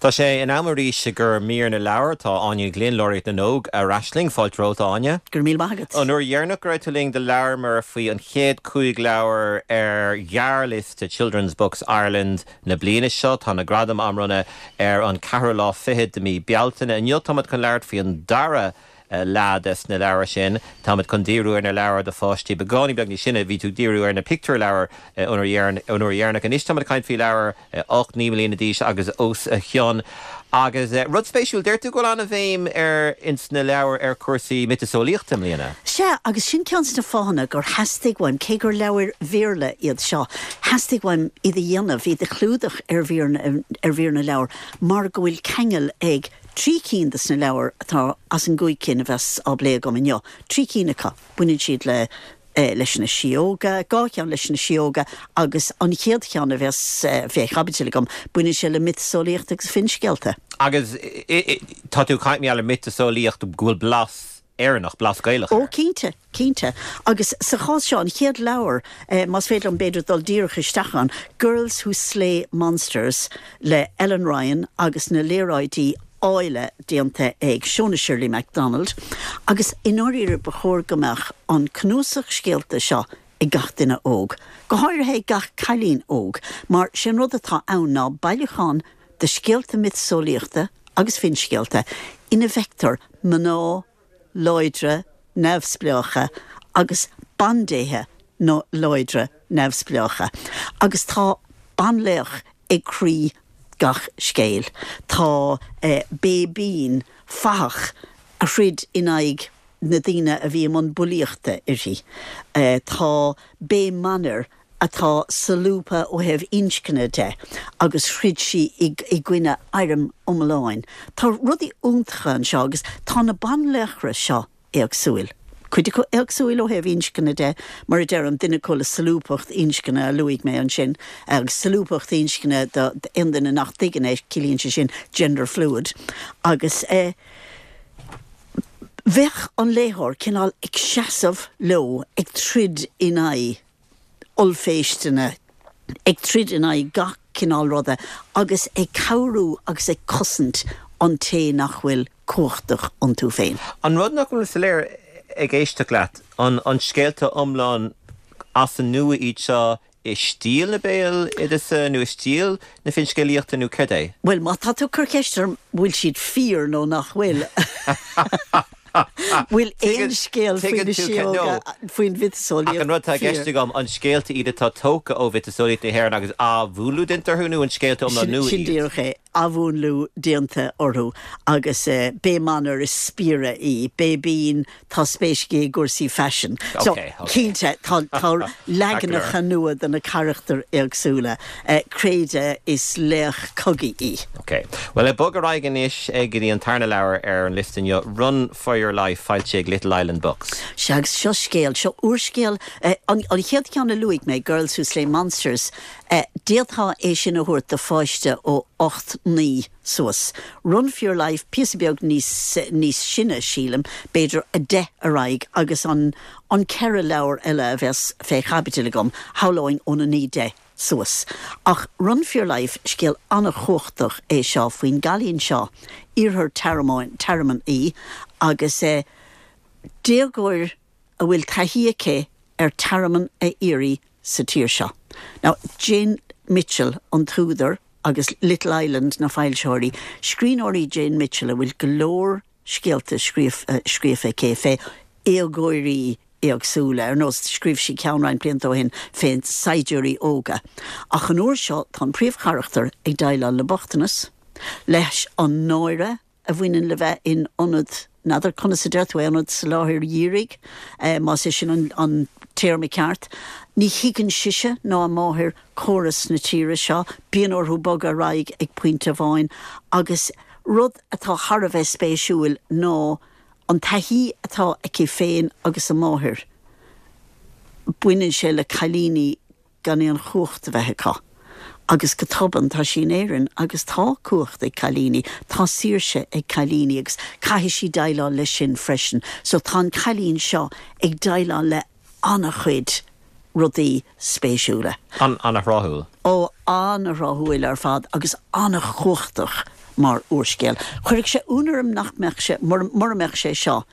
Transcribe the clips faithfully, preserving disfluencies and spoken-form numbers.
Tá sé in am arís i gcomhair mír na leabhar tá Áine Glynn Laureate na nÓg ar ais linn fáilte romhat Áine. Gur mí maigad. An uair dheireanach go raibh tú linn do labhair faoi an chéad cúig leabhar ar ghearrliosta Children's Books Ireland na bliana seo tá na gradaim á mbronnadh ar an ceathrú lá fichead de mí Bealtaine. Inniu táimid chun labhairt faoi an dara leath des na leabhair sin Táimid chun díriú ar na leabhair do pháistí beagáinín beag níos sine bhí tú díriú ar na pictiúrleabhair an uair dheireanach anois táimid ag caint faoi leabhair ocht naoi mbliana d'aois agus os a chionn. Agus rud spéisiúil deir tú go bhfuil an-bhéim ar ins na leabhair ar cúrsaí miotaseolaíochta i mbliana. Sea agus sin ceann de na fáthanna gur theastaigh uaim cé gur leabhair Bhéarla iad seo, theastaigh uaim iad a dhéanamh iad a chlúdach ar ar mhír na leabhar mar go bhfuil ceangal ag trí cinn de na leabhair atá as an gcúig cinn a bheas á bplé agam inniu. Trí cinn acu baineann siad le eh, leis na síóga, dhá cheann leis na síóga agus an chéad cheann a bheas eh, fé chaibidil agam baineann sé le miotaseolaíocht agus finscéalta. Agus tá tú ag caint le miotaseolaíocht go bhfuil blas Éireannach blas Gaelach. Ó cinnte, cinnte. Agus sa chás seo an chéad leabhar eh, más féidir liom b'fhéidir dul díreach isteach ann, Girls Who Slay Monsters le Ellen Ryan agus na léaráidí áille déanta ag Shona Shirley MacDonald, agus i ndáiríre ba chóir go mbeadh an cnuasach scéalta seo ag gach duine óg. Go háirithe gach cailín óg, mar sin rud atá ann ná bailiúchán de scéalta miotaseolaíochta agus finscéalta ina bhfeictear mná láidre neamhspleácha agus bandéithe nó láidre neamhspleácha. Agus tá banlaoch ag croí gach scéil. Tá eh, Bé Bín fathach a throid in aghaidh na daoine a bhí an bulaíochta uirthi. Eh, tá Bé Manner atá solúbtha ó thaobh inscne de agus throid sí i, i gcoinne arm iomláin. Tá rudaí iontacha anseo agus tá na banlaochra seo éagsúil. Cuid acu éagsúil ó thaobh inscne de mar a deir an duine le solúbthacht inscne a luaigh mé ansin agus solúbthacht inscne aon duine nach dtuigeann é ciallaíonn sé sin gender fluid agus eh, bheadh an léitheoir cineál ag seasamh leo ag troid in aghaidh ollphéisteanna ag troid in aghaidh gach cineál ruda agus ag cabhrú agus ag cosaint an té nach bhfuil cumhachtach iontu féin. An rud nach bhfuil soiléir ag éisteacht leat an an scéalta iomlán as an nua iad seo i stíl na béaloideasa nó i stíl na finscéalaíochta nó cad é? Well má tá tú ag cur ceist orm bhfuil siad fíor nó nach bhfuil. Bhfuil aon scéal faoin mhiotaseolaíocht an rud atá i gceist agam an scéalta iad atá tógtha ó mhiotaseolaíocht na hÉireann agus athmhúnlú déanta orthu nó an scéalta iomlán nua Sin díreach é athmhúnlú déanta orthu agus uh, Bé Manner is spiaire í, Bé Bín tá spéis aici i gcúrsaí faisin. So cinnte tá leaganacha nua de na carachtair éagsúla. Uh, Créide is laoch cogaidh í. Ok, Well le bog ar aghaidh anois ag go dtí an tarna leabhar ar an liosta inniu Run for Your Life foilsithe ag Little Island Books. Se agus seo scéal seo úrscéal uh, an, an chéad cheann a luaigh mé Girls Who Slay Monsters uh, d'fhéadfá é sin a thabhairt do pháiste ó ocht naoi suas. Run for Your Life píosa beag níos níos sine sílim, b'fhéidir a deich ar aghaidh agus an an ceithre leabhar eile a bheas fé chaibidil agam shamhlóinn óna naoi deich suas. Ach Run for Your Life scéal an-chumhachtach é seo faoin gcailín seo iarthar Tearmann í agus é déagóir a bhfuil taithí aici ar tearmann a iarraidh sa tír seo. Now Jane Mitchell an t-údar agus Little Island na foilsitheoirí, scríbhneoir í Jane Mitchell a bhfuil go leor scéalta scríofa aici fé dhéagóirí éagsúla ar nós scríobh sí ceann roinnt blianta ó shin fé saighdiúirí óga. Ach an uair seo tá an príomhcharachtar ag déileáil le bochtanas, leis an náire a bhaineann le bheith in ionad n'fheadar conas a deir tú ionad soláthair dhírigh eh, más é sin an, an téarma ceart. Ní thuigeann sise ná a máthair córas na tíre seo, bíonn orthu bogadh ar aghaidh ag pointe amháin, agus rud atá thar a bheith spéisiúil ná an taithí atá aici féin agus a máthair. Baineann sé le cailíní gan aon chumhacht a bheith acu. Agus go tobann tá sí in Éirinn agus tá cumhacht ag cailíní, tá saoirse ag cailíní agus caithfidh sí déileáil leis sin freisin. So tá an cailín seo ag déileáil le an-chuid rudaí spéisiúla. An an-thráthúil. Ó an-thráthúil ar fad agus an-chumhachtach mar úrscéal. Chuirfeadh sé ionadh orm nach mbeadh sé mura mbeadh sé seo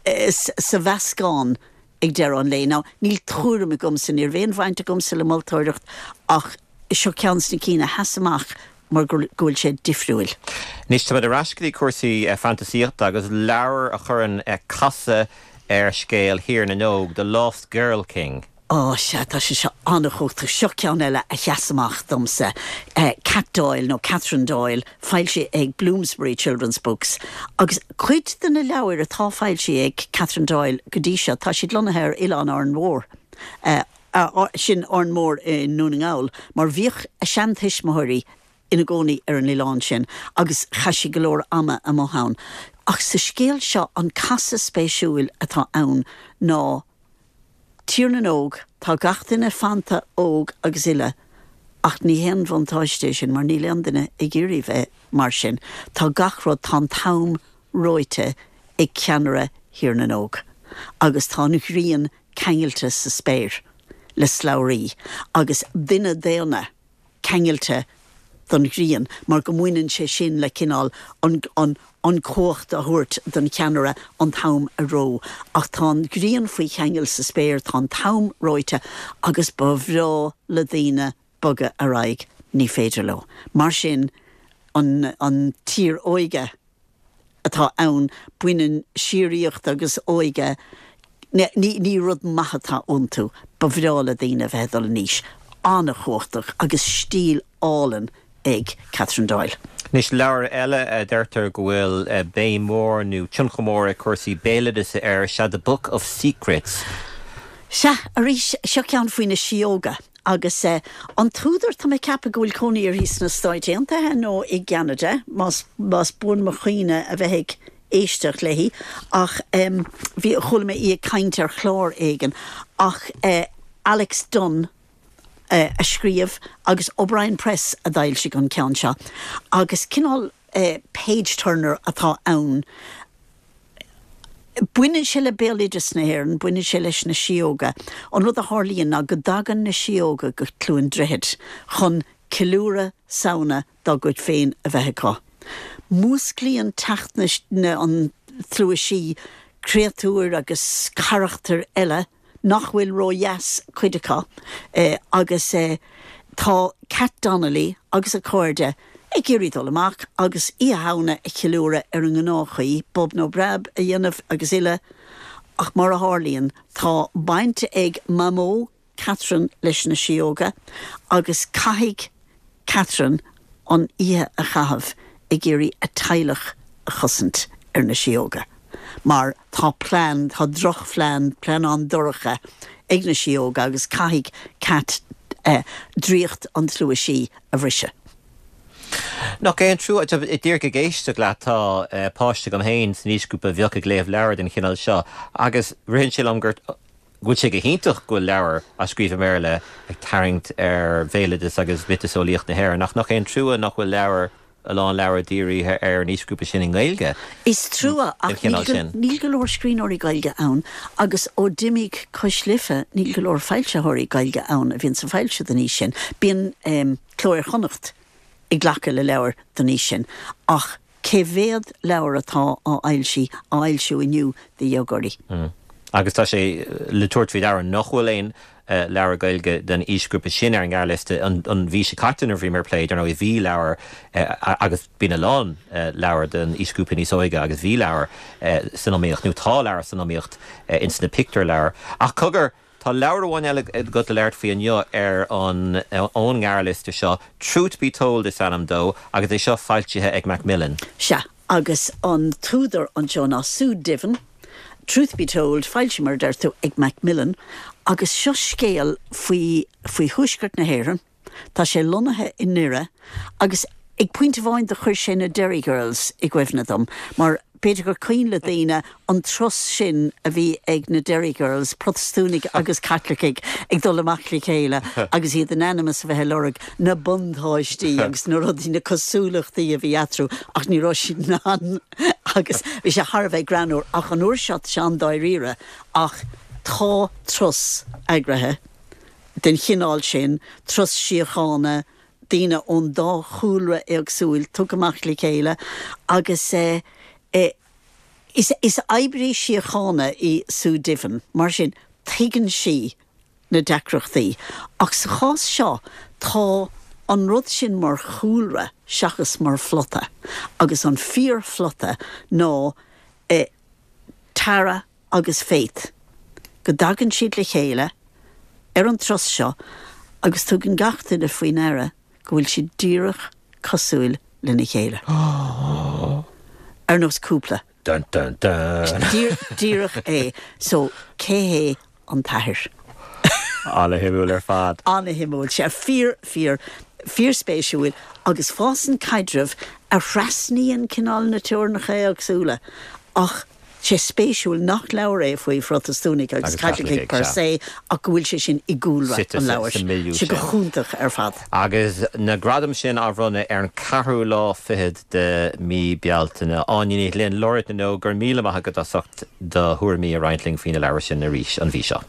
sa mheascán ag deireadh an lae. Now níl tuairim agamsa níl aon bhaint agamsa le moltóireacht ach seo ceann de na cinn a sheas amach mar go bhfuil sé difriúil. Anois tá ar ais go dtí cúrsaí eh, fantaisíochta agus leabhar a chuireann eh, casadh ar scéal Thír na nÓg, The Lost Girl King. Ó sea tá sé seo an-chumhachtach seo ceann eile a sheas amach domsa. Uh, Cat Doyle nó Catherine Doyle foilsithe ag Bloomsbury Children's Books. Agus cuid de na leabhair atá foilsithe ag Catherine Doyle go dtí seo tá siad lonnaithe ar Oileán Árainn Mhór. Uh, uh, sin Árainn Mhór i nDún na nGall, mar bhíodh a seantuismitheoirí ina gcónaí ar an oileán sin agus chaith sí go leor ama amuigh ann. Ach sa scéal seo an casadh spéisiúil atá ann ná Tír na nÓg tá gach duine fanta óg agus uile ach ní haon bhuntáiste sin mar níl aon duine ag iarraidh bheith mar sin. Tá gach rud tá an t-am reoite ag ceannaire Thír na nÓg. Agus tá an ghrian ceangailte sa spéir le slabhraí agus duine daonna ceangailte don ghrian mar go mbaineann sé sin le cineál an, an, an chumhacht a thabhairt don cheannaire an t-am a reo. Ach tá an ghrian faoi cheangal sa spéir tá an t-am reoite agus ba bhreá le daoine bogadh ar aghaidh ní féidir leo. Mar sin an, an tír óige atá ann baineann síoraíocht agus óige ní, ní rud maith atá iontu, ba bhreá le daoine bheith dul in aois. An-chumhachtach agus stíl álainn ag Catherine Doyle. Anois leabhar eile a deirtear go bhfuil béim mór nó tionchar mór ag cúrsaí béaloideasa air sea The Book of Secrets. Sea arís seo ceann faoi na síóga agus uh, an t-údar tá mé ag ceapadh go bhfuil cónaí uirthi sna Stáit Aontaithe nó i gCeanada más más buan mo chuimhne a bheith ag éisteacht léi ach um, bhí chuala mé í ag caint ar chlár éigin ach uh, Alex Dunn uh, a scríobh agus O'Brien Press a d'fhoilsigh an ceann seo agus cineál uh, page turner atá ann. Baineann sé le béaloideas na hÉireann, baineann sé leis na síóga. An rud a tharlaíonn ná go dtagann na síóga go Cluain Droichead chun ceiliúradh Samhna dá gcuid féin a bheith acu. Músclaíonn teacht na an tslua sí créatúir agus carachtair eile nach bhfuil ródheas cuid acu eh, agus eh, tá Cat Donnelly agus a cairde ag iarraidh dul amach agus Oíche Shamhna a cheiliúradh ar an ngnáthchaoi, bob nó breab a dhéanamh agus uile ach mar a tharlaíonn tá baint ag Mamó Catherine leis na síóga agus caithfidh Catherine an oíche a chaitheamh ag iarraidh a teaghlach a chosaint ar na síóga. Mar tá plean tá drochphlean plean an-dorcha ag na síóga agus caithfidh Cat eh, draíocht an tslua sí a bhriseadh. Nach é an trua díreach ag éisteacht leat tá eh, páiste agam féin san aoisghrúpa a bheadh ag léamh leabhar den chineál seo agus ritheann sé liom gur bhfuil sé go hiontach go bhfuil leabhar á scríobh i mBéarla ag tarraingt ar bhéaloideas agus miotaseolaíocht na hÉireann nach nach é an trua nach bhfuil leabhar a lán leabhar dírithe ar an aoisghrúpa sin i nGaeilge. Is trua ach níl go leor scríbhneoirí Gaeilge ann agus ó d'imigh Cois Life níl go leor foilsitheoirí Gaeilge ann a bhíonn ag foilsiú don aois sin. Bíonn um, Cló Iar-Chonnacht ag glacadh le leabhar don aois sin ach cé mhéad leabhar atá á fhoilsiú á fhoilsiú inniu do dhéagóirí. Mm. Agus tá sé le tabhairt faoi deara nach bhfuil aon uh, leabhar Gaeilge den aoisghrúpa sin ar an ngearrliosta an, an mhí seo caite nuair a bhí mar plé ar nó bhí leabhar uh, agus bíonn a lán uh, leabhar den aoisghrúpa níos óige agus bhí leabhar uh, san iomaíocht nó tá leabhar san iomaíocht uh, ins na pictiúrleabhair. Ach cogar Tá leabhar amháin eile agat le labhairt faoi inniu ar an ón ngearrliosta seo Truth Be Told is ainm dó agus é seo foilsithe ag Macmillan. Sea agus an t-údar anseo ná Sue Diven, Truth Be Told foilsithe mar a deir tú ag Macmillan, agus seo scéal faoi faoi thuaisceart na hÉireann, Tá sé lonnaithe i nDoire agus ag pointe amháin do chuir sé na Derry Girls i gcuimhne dom, mar b'fhéidir gur cuimhin le daoine an turas sin a bhí ag na Derry Girls, Protastúnaigh agus Caitlicigh ag dul amach le chéile agus iad in ainm is a bheith ag lorg na buntáistí agus na rudaí na cosúlachtaí a bhí eatarthu ach ní raibh siad in ann agus bhí sé thar a bheith greannmhar ach an uair seo sé an-dáiríre ach tá turas eagraithe den chineál sin turas síochána daoine ón dá chúlra éagsúil tugtha amach le chéile agus eh, eh, is, is oibrí síochána í Sue Diven, mar sin tuigeann sí na deacrachtaí. Ach sa chás seo tá an rud sin mar chúlra seachas mar phlota, agus an fíorphlota ná eh, Tara agus Faith. Go dtagann siad le chéile ar an turas seo agus tugann gach duine faoi deara go bhfuil siad díreach cosúil lena chéile. Ar nós cúpla. Dun, dun, dun. Díreach é, so cé hé an t-athair. An-shuimiúil ar fad. An-shuimiúil sé fíor fíor fíorspéisiúil agus fásann caidreamh a thrasnaíonn cineál na teorainneacha éagsúla ach sé spéisiúil nach leabhar é faoi Phrotastúnaigh agus Caitlicigh per se ach go bhfuil sé sin i gcúlra an leabhair sé go hiontach ar fad. Agus na gradaim sin á mbronnadh ar an ceathrú lá fichead de mí Bealtaine Áine Ní Ghlinn Laureate na nÓg go raibh míle maith agat as ucht do thuairimí a roinnt linn faoi na leabhair sin arís an mhí seo.